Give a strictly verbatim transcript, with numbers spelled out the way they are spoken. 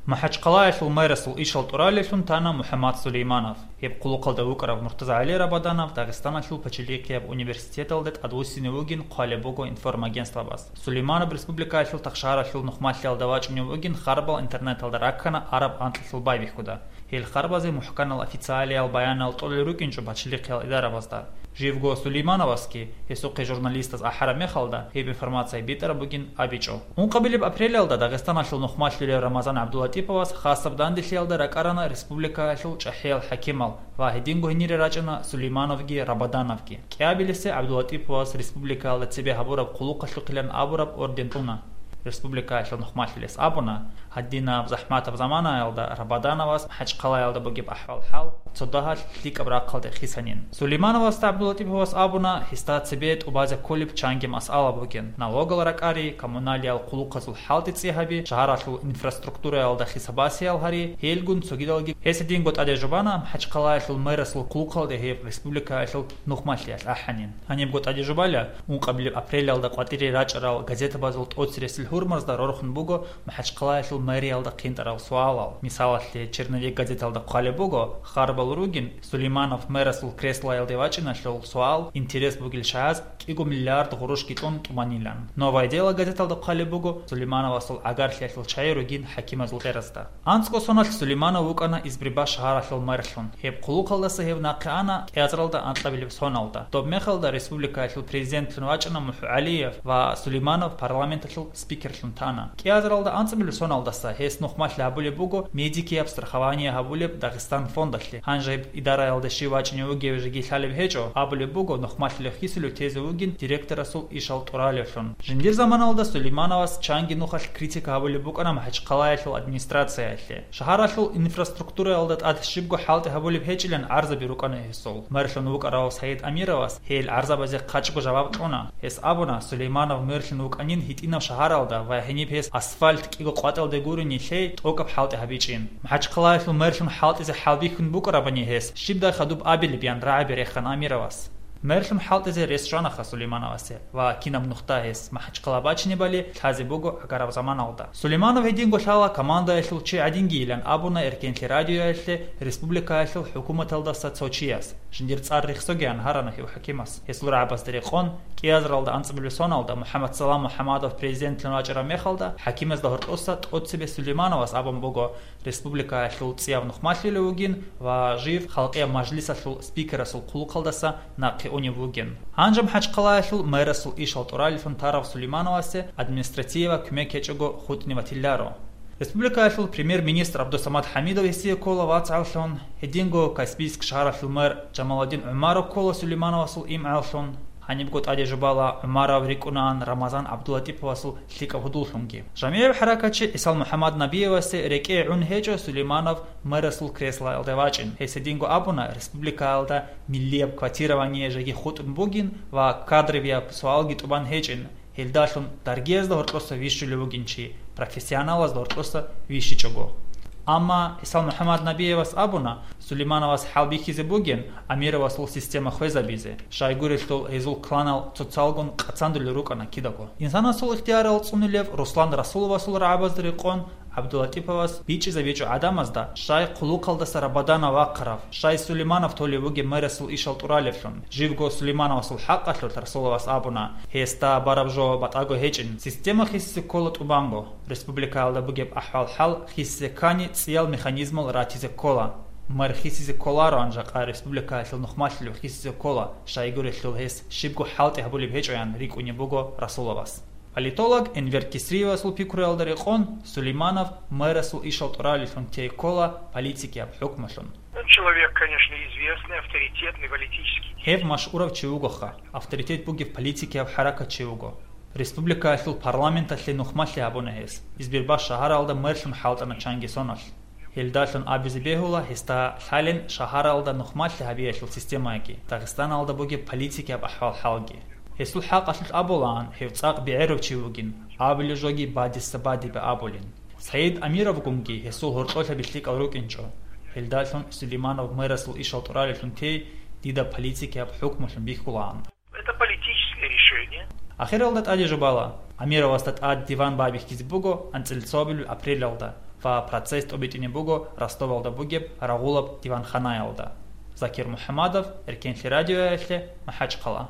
МахӀачхъалаялъул мэрасул ишал тӀуралевлъун тана МухӀаммад Сулейманов. Гьеб хъулухъалда вукӀарав Муртазагьали Рабаданов Дагъистаналъул пачалихъияб университеталда тӀадвуссине вугин хъвалеб буго информагентствабаз. Сулейманов республикаялъул Тахшагьаралъул нухмалъиялда вачӀунев вугин, харбал интернеталда раккана араб анкьалъул байбихьуда. Гьел харбазе мухӀканал официалиял баянал тӀолел рукӀинчӀо пачалихъиял идарабазда. Живго Сулеймановасги гьесухъе журналистаз ахӀараб мехалда, гьеб информация битӀараб бугин абичӀо. Ункъабилеб апрелалда Дагъистаналъул нухмалъулев Рамазан ГӀабдулатӀиповас хасаб данделъиялда ракӀарана республикаялъул чӀахӀиял хӀакимал ва гьединго гьенире рачӀана Сулеймановги Рабадановги. КӀиабилесе ГӀабдулатӀиповас республикаялда цебе гьабураб хъулухъалъухъилан абураб орден тӀуна. Республикаялъул нухмалъулес абуна, гьадинаб захӀматаб заманаялда Рабадановас МахӀачхъалаялда бугеб ахӀвал-хӀал цо дагьалъ лъикӀаб рахъалде хисанин. Сулеймановасда ГӀабдулатӀиповас абуна, гьесда цебе тӀубазе кколеб чанги масъала бугин: налогал ракӀари, коммуналиял хъулухъазул хӀалтӀи цӀи гьаби, шагьаралъул инфраструктураялда хисабасиял гьари, гьелгун цогидалги. Гьес гьединго тӀаде жубана МахӀачхъалаялъул мэрасул хъулухъалде гьеб республикаялъул нухмалъиялъ ахӀанин. Гьанибго тӀаде жубала, ункъабилеб апрелалда къватӀире рачӀарал газетабазул тӀоцересел гьурмазда рорхун буго МахӀачхъалаялъул мэриялда хъинтӀарал суалал. Мисалалъе, «Черновик» газеталда хъвалеб буго, харбал ругин, Сулейманов мэрасул креслоялде вачӀиналъул суал интерес бугел чагӀаз кӀиго миллиард гъурущги кьун тӀубанилан. «Новое дело» газеталда хъвалеб буго Сулеймановасул гӀагарлъиялъул чагӀи ругин хӀакимазул тӀеразда. АнцӀго соналъ Сулейманов вукӀана Избербаш шагьаралъул мэрлъун. Гьеб хъулухъалдаса гьев нахъе ана кӀиазаралда анкьабилеб соналда. Доб мехалда республикаялъул президентлъун вачӀана МухӀу ГӀалиев ва Сулейманов парламенталъул спикерлъун тана. КӀиазаралда анцӀабилеб соналдаса гьес нухмалъи гьабулеб буго медикияб страхование гьабулеб Дагъистан фондалъе. Гьанже гьеб идараялда щив вачӀунев вугев жеги лъалеб гьечӀо, абулеб буго, нухмалъилев хисулев тезе вугин директорасул ишал тӀуралевлъун. Жиндир заманалда Сулеймановас чанги нухалъ критика гьабулеб букӀана МахӀачхъалаялъул администрациялъе. Шагьаралъул инфраструктураялда тӀад щибго хӀалтӀи гьабулеб гьечӀилан гӀарзаби рукӀана гьесул. Мэрлъун вукӀарав Саид Амировас гьел гӀарзабазе хъачӀго жаваб кьуна. Гьес абуна, Сулейманов мэрлъун вукӀанин гьитӀинав шагьаралда ва гьениб гьес асфальт кӀиго къватӀалде гурони лъей тӀокӀаб хӀалтӀи гьабичӀин. МахӀачхъалаялъул мэрлъун хӀалтӀизе хӀалбихьун букӀарабани гьес, щибдай хадуб абилеб, ян рагӀаби рехана Амировас. Мэрлъун хӀалтӀизе рес щванаха Сулеймановасе ва кинаб нухда гьес МахӀачхъала бачинебали лъазе буго гӀагараб заманалда. Сулейманов гьединго лъала командаялъул чи гӀадингийилан абуна Эркенлъи радиоялъе республикаялъул хӀукуматалдаса цо чияс. Жиндир цӀар рехсогеян гьарана гьев хӀакимас. Гьесул рагӀабазда рекъон, кӀиазаралда анцӀабилеб соналда МухӀаммад Салам МухӀаммадов президентлъун вачӀараб мехалда, хӀакимазда гьоркьоса тӀоцебе Сулеймановас абун буго, республикаялъул цӀияб нухмалъулев вугин ва жив Халкъияб мажлисалъул спикерасул хъулухъалдаса нахъе унев вугин. Гьанже МахӀачхъалаялъул мэрасул ишал тӀуралевлъун тарав Сулеймановасе администратияб кумек гьечӀого хутӀни ватиларо. Республикаялъул премьер-министр ГӀабдусамад ХӀамидов гьесие ккола вацгӀаллъун, гьединго Каспийск шагьаралъул мэр Жамаладдин ГӀумаров ккола Сулеймановасул имгӀаллъун. Гьанибго тӀаде жубала, ГӀумаров рикӀкӀунаан Рамазан ГӀабдулатӀиповасул лъикӀаб гьудуллъунги. ЖамигӀиб хӀаракатчи ГӀисал МухӀаммад Набиевасе рекӀее гӀун гьечӀо Сулейманов мэрасул креслоялде вачӀин. Гьес гьединго абуна, республикаялда миллияб квотирование жеги хутӀун бугин ва кадровияб суалги тӀубан гьечӀин. Гьелдалъун даргиязда гьоркьоса вищулев вугин чи, профессионалазда гьоркьоса вищичӀого. Амма ГӀисал МухӀаммад Набиевас абуна, Сулеймановас хӀалбихьизе бугин Амировасул система хвезабизе, щайгурелъул гьезул кланал цоцалгун къацандулел рукӀана кидаго. Инсанасул ихтиярал цӀунулев Руслан Расуловасул рагӀабазда рекъон, ГӀабдулатӀиповас бичӀчӀизабичӀо гӀадамазда, щай хъулухъалдаса Рабаданов вахъарав, щай Сулейманов толев вугеб мэрасул ишал тӀуралевлъун. Живго Сулеймановасул хӀакъалъулъ Расуловас абуна, гьесда бараб жо батӀаго гьечӀин, система хисизе ккола тӀубанго. Республикаялда бугеб ахӀвал-хӀал хисизе ккани, цӀиял механизмал ратизе ккола. Мэр хисизе кколароан жакъа республикаялъул нухмалъулев хисизе ккола, щайгурелъул гьес щибго хӀалтӀи гьабулеб гьечӀоян рикӀкӀунеб буго Расуловас. Политолог Энвер Кисриевасул пикруялда рекъон, Сулейманов мэрасул ишал тӀуралевлъун тей ккола политикияб хӀукмулъун. Он человек, конечно, известный, авторитетный политический деятель. Гьев машгьурав чи вугоха, авторитет бугев политикияб хӀаракатчи вуго. Республикаялъул парламенталъе нухмалъи гьабуна гьес. Избербаш шагьаралда мэрлъун хӀалтӀана чанги соналъ. Гьелдалъун абизе бегьула гьесда лъалин шагьаралда нухмалъи гьабиялъул системаги, Дагъистаналда бугеб политикияб ахӀвал-хӀалги. Гьесул хӀакъалъулъ абулаан, гьев цӀакъ бегӀерав чи вугин, абулеб жоги бадиса бадибе абулин. Саид Амировгунги гьесул гьоркьолъаби лъикӀал рукӀинчӀо. Гьелдалъун Сулейманов мэрасул ишал тӀуралевлъун тей дида политикияб хӀукмулъун бихьулаан. Это политическое решение. Ахиралда тӀаде жубала, Амировасда тӀад диван байбихьизе буго анцӀила цоабилеб апрелалда. Ва процесс тӀобитӀине буго Ростовалда бугеб рагъулаб диванханаялда. Закир МухӀамадов, Эркенлъи радиоялъе, МахӀачхъала.